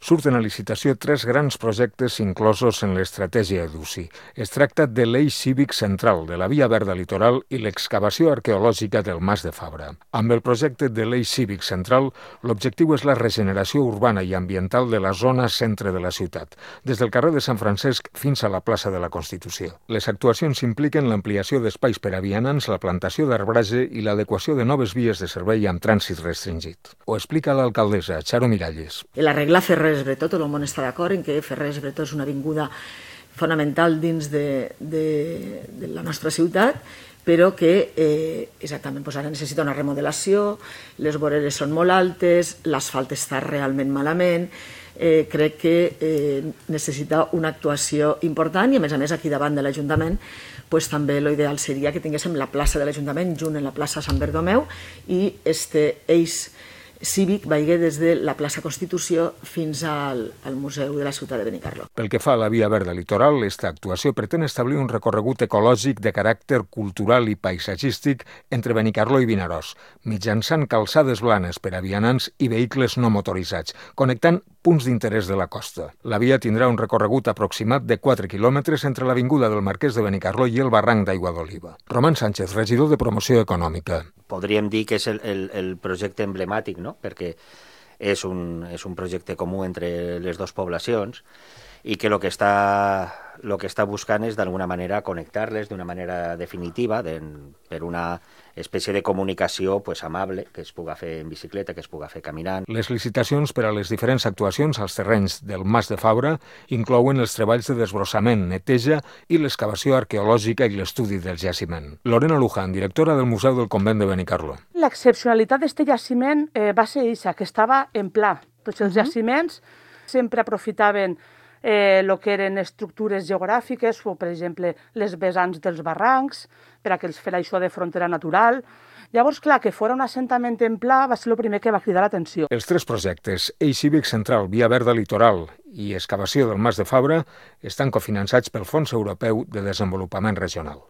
Surten a licitació 3 grans projectes inclosos en l'estratègia EDUCI. Es tracta de l'eix cívic central, de la via verda litoral i l'excavació arqueològica del Mas de Fabra. Amb el projecte de l'eix cívic central, l'objectiu és la regeneració urbana i ambiental de la zona centre de la ciutat, des del carrer de Sant Francesc fins a la plaça de la Constitució. Les actuacions impliquen l'ampliació d'espais per a vianants, la plantació d'arbratge i l'adequació de noves vies de servei amb trànsit restringit. Ho explica l'alcaldessa, Charo Miralles. L'arreglar Ferrers-Bretó, tot el món està d'acord en que Ferrers-Bretó és una avinguda fonamental dins de la nostra ciutat, però que exactament ara necessita una remodelació, les voreres són molt altes, l'asfalt està realment malament, crec que necessita una actuació important i a més aquí davant de l'Ajuntament també l'ideal seria que tinguéssim la plaça de l'Ajuntament junt en la plaça Sant Bertomeu i este eix cívic vagi des de la plaça Constitució fins al Museu de la Ciutat de Benicarló. Pel que fa a la via verda litoral, aquesta actuació pretén establir un recorregut ecològic de caràcter cultural i paisatgístic entre Benicarló i Vinaròs, mitjançant calçades blanes per a vianants i vehicles no motoritzats, connectant punts d'interès de la costa. La via tindrà un recorregut aproximat de 4 quilòmetres entre l'avinguda del Marquès de Benicarló i el barranc d'Aigua d'Oliva. Roman Sánchez, regidor de Promoció Econòmica. Podríem dir que és el projecte emblemàtic, no? Perquè és un projecte comú entre les dues poblacions i que el que està buscant és d'alguna manera connectar-les d'una manera definitiva per una espècie de comunicació amable, que es puga fer en bicicleta, que es puga fer caminant. Les licitacions per a les diferents actuacions als terrenys del Mas de Fabra inclouen els treballs de desbrossament, neteja i l'excavació arqueològica i l'estudi del jaciment. Lorena Luján, directora del Museu del Convent de Benicarló. L'excepcionalitat d'aquest jaciment va ser això, que estava en pla. Tots els jaciments sempre aprofitaven el que eren estructures geogràfiques, o per exemple les vessants dels barrancs, per a que els fer això de frontera natural. Llavors, clar, que fora un assentament en pla va ser el primer que va cridar l'atenció. Els 3 projectes, eix cívic central, via verda litoral i excavació del Mas de Fabra, estan cofinançats pel Fons Europeu de Desenvolupament Regional.